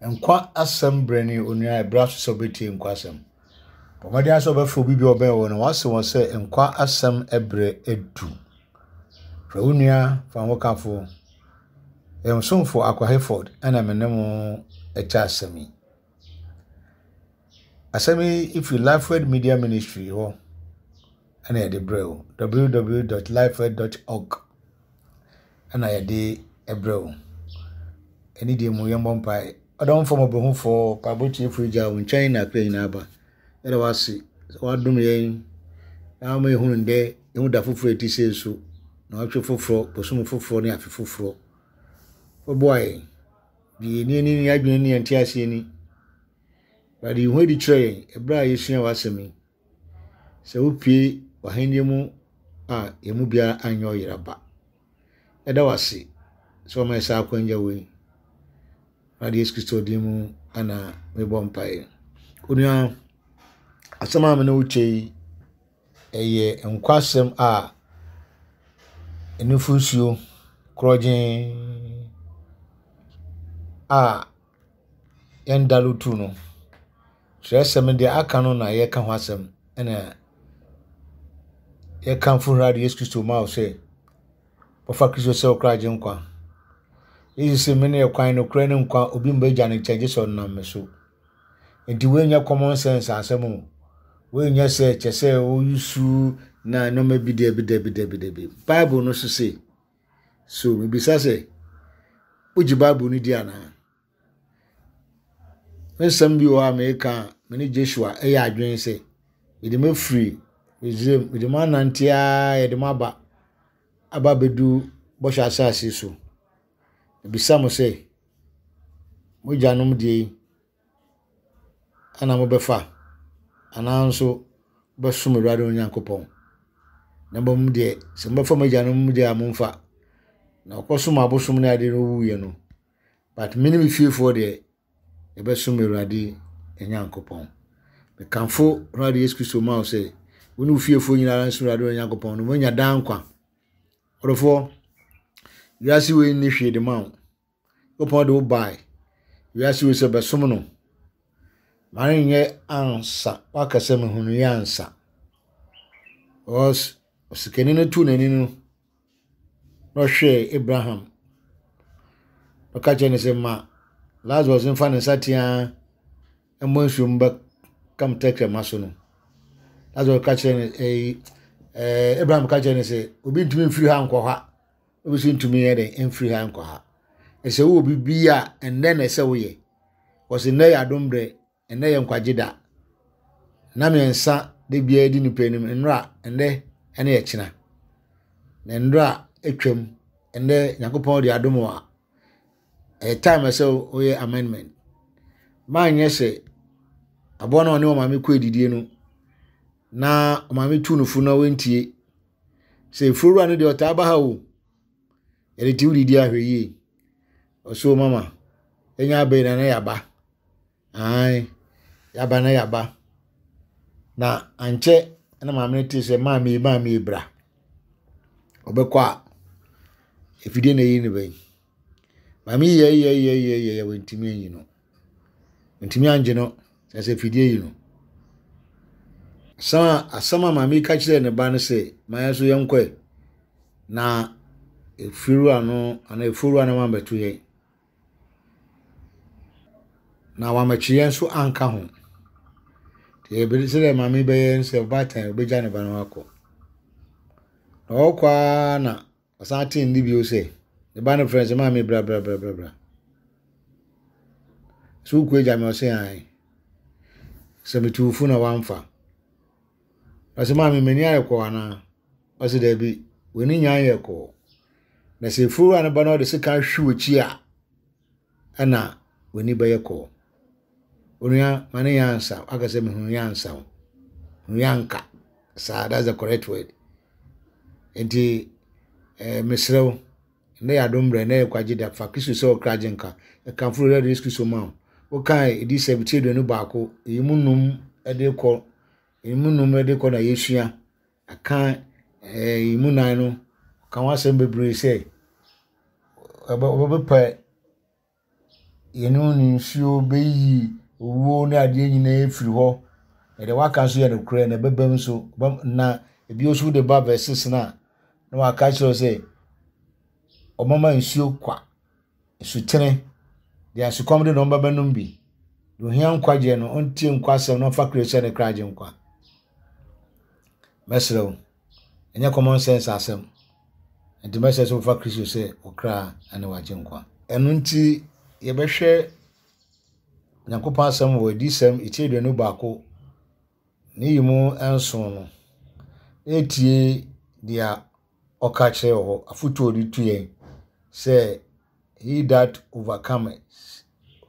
Nkwa asɛm berɛ ne onua ɛberɛ aso sɛ wobɛtie nkwa asɛm. Bɔ mmɔden ara sɛ wobɛfrɛ obi bi a ɔbɛn wo no wase wɔn sɛ nkwa asɛm berɛ adu. Frɛ wo nua, fa wo hokafo. Yɛn somfo Akwa Hayford ɛna me ne mo ɛkyɛ asɛm yi. Asɛm yi firi Lifeword Media Ministry hɔ ɛna yɛde brɛ wo. www.lifeword.org ɛna yɛde brɛ wo. Ɛne deɛ mu yɛmmɔ mpae. Ɔdomfo mmɔborɔhufoɔ, mpaebɔ tiefoɔ Agya, wo nkyɛn na akra nyinaa ba. Yɛda wo ase sɛ woadom yɛn na wama yɛhunu ndɛ, yɛhu da foforɔ a ɛte sei so, naawɔtwe foforɔ, bosome foforɔ ne afe foforɔ. Woboa yɛn. De yɛn ani ne yɛn adwene ne yɛn nteaseɛ ani. Awurade, yi ho adi kyerɛ yɛn ɛberɛ a yɛsua w'asɛm yi. Sɛ wopue w'ahenni mu a, yɛn mu biara anyɛ ɔyera ba. Yɛda wo ase sɛ wama yɛn saa akwanya wei. Awurade Yesu Kristo din mu ana mebɔ mpaeɛ. Onua, asɛm a me ne wo kyɛ yi, ɛyɛ nkwasɛm a nufosuo korɔgyenn a yɛndalotu no. Twerɛsɛm no deɛ aka no na yɛreka ho asɛm ɛna yɛkamfo Awurade Yesu Kristo ma wo sɛ wɔfa Kristo sɛ wo kra agyenkwa. Yesu se mene ɛkwan, nokorɛ ne nkwa, obi mma agya no nkyɛn gye sɛ ɔnam me so. Nti wei nyɛ common sense asɛm o. Wei nyɛ sɛ kyɛ sɛ woyusu na nneɛma bi dabi dabi dabi dabi. Bible no so se. So mebisa sɛ wogye Bible no di anaa? Me nsɛm bi wɔ hɔ a meka a, me ne Joshua yɛ adwene sɛ, mede mo afiri Misraim, mede mo anante ara, yɛde mo aba aba abɛdu bɔhyɛ asase so. Mebisa mo sɛ, mo agyanom deɛ yi ana mobɛfa anaa nso mobɛsom Awurade mo Nyankopɔn? Na mmom deɛ, sɛ mobɛfa mo agyanom deɛ a momfa. Na wɔkɔsom abosom ne adeɛ no wɔwuiɛ no, But me ne me fiefoɔ deɛ, yɛbɛsom Awurade yɛn Nyankopɔn. Mekamfo Awurade Yesu Kristo ma wo sɛ, wo ne wo fiefoɔ nyinaa nsom Awurade wɔn Nyankopɔn no, moanya daa nkwa. Ɔdɔfoɔ, wiase wei nni hwee de ma wo. Nyankopɔn de wo bae wiase wei sɛ bɛsom no. Ma no nyɛ ansa, waka sɛ mehunuiɛ ansa. Because osikani no tuu n'ani no, na ɔhwɛɛ Abraham. Ɔka kyerɛɛ no sɛ, Ma Lazarus mfa ne nsateaa mmɔ nsuo mu bɛka me tɛkrɛma so no. Lazarus ka kyerɛɛ no ɛyi ɛɛ Abraham ka kyerɛɛ no sɛ, obi ntumi mfiri ha nkɔ ha, obi nso ntumi yɛ dɛn mfiri ha nkɔ ha. Ɛsɛ wowɔ biribi a ɛnnɛ na ɛsɛ woyɛ. Wɔsi nnɛ yɛ adom berɛ. Ɛnnɛ yɛ nkwagye da. Nna mmiɛnsa da biara di nipa anim, nnora, ɛnnɛ ne ɛkyena. Na nnora atwam, ɛnnɛ Nyankopɔn de adom wo a, ɛyɛ time ɛsɛ woyɛ amendment. Manyɛ sɛ aboa no a ɔne ɔmaame kɔ adidie no na ɔmaame tu no fo na wantie. Sɛ efuowura no deɛ ɔtaa ba ha o, yɛde te wodidi ahwɛ yie. Ɔsoo mama, ɛnya abɛn na na yɛaba. Aane, yɛaba na yɛaba. Na ankyɛ na maame no tee sɛ maame yi maame yi bra. Ɔbɛkɔ a, afidie na ɛyi ne ba yi. Maame yi yɛɛyɛɛyɛɛyɛɛ wantumi anyi no. Wantumi angye no kyerɛ sɛ afidie yi no. Asɛm a asɛm a maame yi ka kyerɛɛ ne ba no sɛ, ma yɛn nso yɛnkɔ ɛ. Na efiewura no anaa efiewura no ammɛto yɛn. Na wammɛkye yɛn nso anka ho. Nti yɛbɛ sɛdeɛ maame yi bɛyɛ ne sɛ ɔbaatan ɔbɛgya ne ba no akɔ. Na ɔrekɔ ara na ɔsan tee nne bio sɛ, ne ba no frɛ no sɛ maame bra bra bra bra bra. So wokɔ agya me ɔse ae. Sɛ metu wo fo na woamfa. Ɔse maame m'ani ayɛ kɔɔ anaa? Ɔse daabi, w'ani nya anyɛ kɔɔ. Na sɛ efuwura no ba na ɔde sekan hwe w'akyi a, ɛna w'ani bɛyɛ kɔɔ. Onua, ma ne yɛ ansa. Waka sɛ mehunu yɛ ansa o. Hunu yɛ anka. Saa, that's the correct word. Nti, eh, mesrɛ wo, ɛnɛ yɛ adom berɛ, ɛnɛ yɛ kwagye da, fa Kristo sɛ ɔkra gye nka. Ɛkamfo Awurade Yesu Kristo ma wo. Wokae ɛdi sɛ ti 21, ɛyi mu num de kɔ, ɛyi mu num de kɔ na yɛsua. Aka ɛɛ mu nan no, ɔka ho asɛm bebree sɛ ɔbɛpɛ. yɛne ne nsuo bɛyi owuo ne adeɛ nyinaa afiri hɔ. Na deɛ waka nso yɛ nokorɛ na ɛbɛbam nso. Na ebi nso de ba verse 6 no a, na waka kyerɛ sɛ ɔmama nsuo kwa, nsutene, deɛ asukɔm de no ɔmba bɛnom bi. Deɛ ohia nkwagyeɛ no, ɔntie nkwa asɛm na ɔmfa Kristo sɛ ne kra agyenkwa. Mɛsrɛ wo, ɛnyɛ common sense asɛm. Nti mɛsrɛ sɛ wofa Kristo sɛ wo kra ne w'agyenkwa. Ɛno nti yɛbɛhwɛ Nyankopɔn asɛm wɔ Adiyisɛm eti 21 ne yi mu nson no, na yɛtie deɛ ɔka kyerɛ wɔ hɔ, afotuo a ɔde tu yɛn sɛ he that overcometh,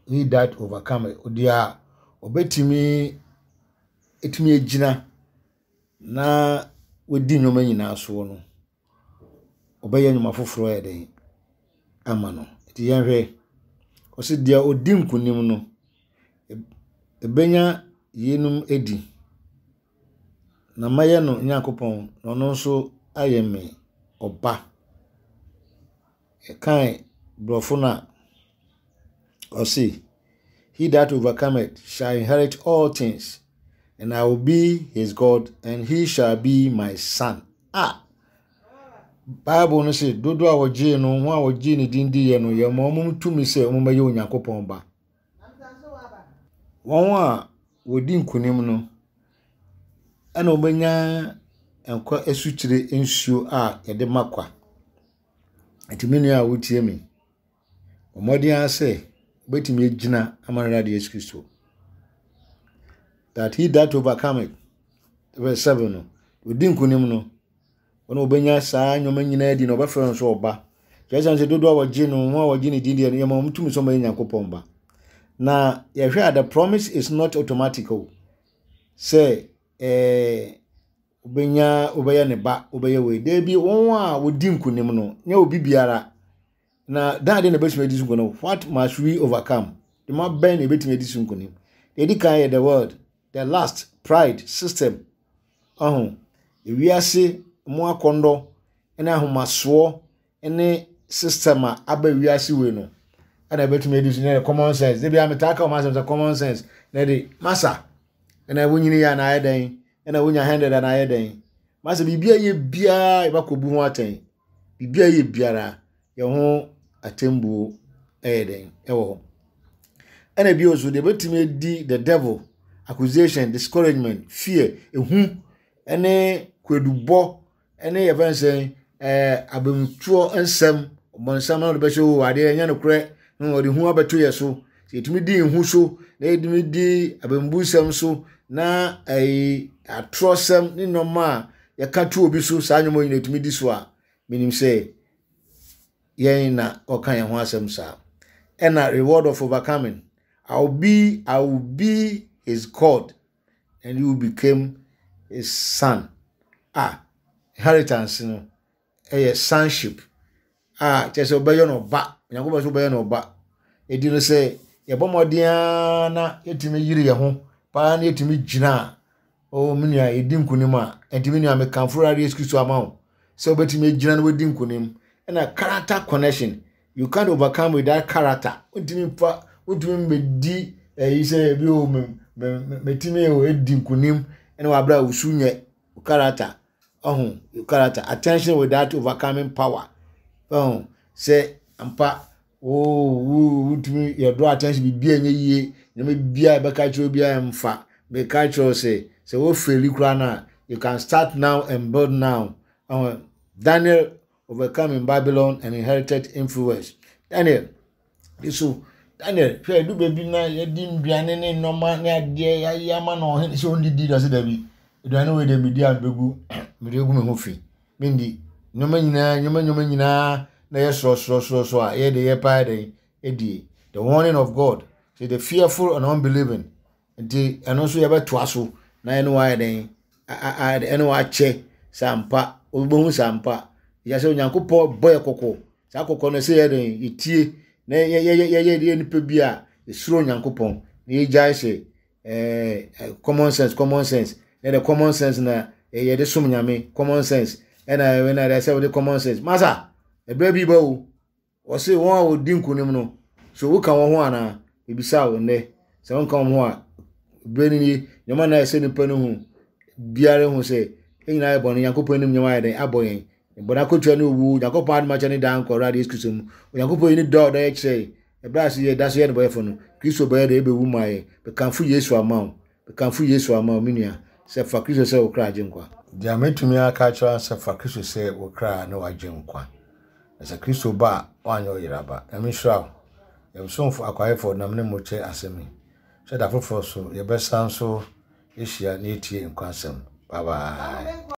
he that overcometh, deɛ a ɔbɛtumi ɛtumi agyina na wadi nneɛma nyinaa soɔ no, ɔbɛyɛ nnwuma foforɔ ayɛ dɛn ama no. Nti yɛnhwɛ, ɔse deɛ ɔdi nkunim no, ɛbɛnya yeinom adi, na mɛyɛ no Nyankopɔn, na ɔno nso ayɛ me ɔba. Yɛkae borɔfo no a, ɔse, He that overcometh shall inherit all things, and I will be his God, and he shall be my son. Ah! Bible no se, dodoɔ a wɔgyee no, wɔn a wɔgyee ne din diiɛ no, yɛma wɔn tumi sɛ wɔmmɛyɛ Onyankopɔn ba. Wɔn a wɔdi nkonim no, ɛna wɔbɛnya nkwa asutire nsuo a yɛde ma kwa. Nti me nua a wotie me, bɔ mmɔden ara sɛ wobɛtumi agyina ama Awurade Yesu Kristo. That he that overcometh, verse 7 no, ɔdi nkonim no, ɔna ɔbɛnya saa nneɛma nyinaa di na ɔbɛfrɛ no sɛ ɔba. Kyerɛ sɛ sɛ dodoɔ a wɔgye no, wɔn a wɔgye ne din deɛ no, yɛma wɔn tumi sɛ wɔyɛ Nyankopɔn ba. Na yɛhwɛ a the promise is not automatic o. Sɛ ɛɛ wobɛnya wobɛyɛ ne ba wobɛyɛ wei daabi wɔn a wɔdi nkonim no nyɛ obi biara na dan de na ebɛtumi adi so nkonim what must we overcome dwuma bɛn na ebɛtumi adi so nkonim deɛ edi kan yɛ the world the last pride system ɔho ewiase mu akɔndɔ ne ahomasoɔ ne system a aba wiase wei no ɛna ɛbɛtumi adi so nyɛ common sense de bia metaa ka wɔn asɛm sɛ common sense na ɛde masa ɛna wonyini yɛ anaa ayɛ dɛn ɛna wonya hundred anaa ayɛ dɛn masa biribi a yɛ biara yɛbɛkɔ bu ho atɛn biribi a yɛ biara yɛ ho atɛmbuo ɛyɛ dɛn ɛwɔ hɔ ɛna bio nso deɛ ɛbɛtumi adi the devil accusation discouragement fear ehu ɛne kwadubɔ ɛne yɛfrɛ no sɛn ɛɛ abamtuo nsɛm ɔbɔnsam na ɔde bɛhyɛ o adeɛ ɛnyɛ nokorɛ na ɔde hu abɛto yɛ so sɛ yɛtumi di nhu so na yɛtumi di abambu nsɛm so na ɛyi atorɔsɛm ne nneɛma a yɛka to obi so saa nneɛma nyinaa yɛtumi di so a menim sɛ yɛn na ɔka yɛn ho asɛm saa ɛna reward of overcoming I will be I will be his God and you became his son. A inheritance no ɛyɛ sonship a kyerɛ sɛ wobɛyɛ no ɔba. Onyankopɔn sɛ wobɛyɛ no ɔba. Edi no sɛ yɛbɔ mmɔden ara na yɛtumi yere yɛn ho paa na yɛtumi gyina a, oh me nua yɛdi nkonim a, ɛnti me nua mekamfo Awurade Yesu Kristo ama wo sɛ wobɛtumi agyina na wadi nkonim. Ɛna character connection You can't overcome without character. Wontumi mfa wontumi mmɛdi ɛyi sɛ ebi o me me metumi o edi nkunim ɛna wabra a wusu nyɛ character ɔho character attention without overcoming power ɔho sɛ ampa oo wo wontumi yɛ draw attention biribi a ɛnyɛ yie nneɛma bi a ɛbɛka kyerɛ obi a ɛmfa meka kyerɛ sɛ sɛ wo faili koraa no a you can start now and build now ɔho Daniel overcome in Babylon and inherited influence. Daniel, so Daniel, hwɛ edu baabi na yɛdi nnuane ne nneɛma ne adeɛ yɛayɛ ama na ɔhene sɛ ɔndidi na sɛ dabi aduane wei deɛ medi a mebɛgu mede agu me ho fi mendi nneɛma nyinaa nneɛma nneɛma nyinaa na yɛ sorɔsorɔsorɔsorɔ a yɛ de yɛ paa dɛn ɛdie the warning of God say the fearful and unbelieving Nti ɛno nso yɛbɛtoa so na ɛne wayɛ dɛn ɛne wakyɛ sɛ ampa wobɛhu sɛ ampa yɛ sɛ Onyankopɔn bɔ yɛ kɔkɔ saa kɔkɔ no sɛ yɛ dɛn yɛtie na yɛyɛ yɛ nipa bi a yɛsuro Onyankopɔn na yɛgyae sɛ ɛɛ common sense common sense na the common sense na yɛde som Nyame common sense ɛna ɛna ɛsɛ wɔde common sense masa ɛberɛ bi ba o Wɔse wɔn a wɔdi nkonim no. So woka wɔn ho anaa? Mebisa wo nnɛ. Sɛ wonka wɔn ho a, berɛ no nie, nneɛma na ɛsɛ nipa no hu biara hu sɛ yɛn nyinaa yɛ bɔne, Nyankopɔn anim nneɛma ayɛ dɛn abɔ yɛn. Bɔne akotua ne owu, Nyankopɔn adom akyɛ ne daa nkwa Awurade Yesu Kristo mu. Onyankopɔn yi ne dɔ a ɔdɔ yɛ kyerɛ yɛn. Ɛberɛ a so yɛ da so yɛ nnebɔyɛfo no, Kristo bɛyɛ dɛn ɛbɛwu maa yɛn. Mekamfo Yesu ama wo. Mekamfo Yesu ama wo, me nua, sɛ fa Kristo sɛ wo kra agyenkwa. Deɛ mɛtumi aka akyerɛ wo sɛ fa Kristo sɛ wo kra ne w'agyenkwa. Na sɛ Kristo ba a, woanyɛ ɔyera ba. Nyame nhyira wo. Yɛn somfo Akwaefoɔ nam ne mo kyɛ asɛm yi. Hyɛ da foforɔ so, yɛbɛsan so ahyia na yɛatie nkwa nsɛm. Bye bye.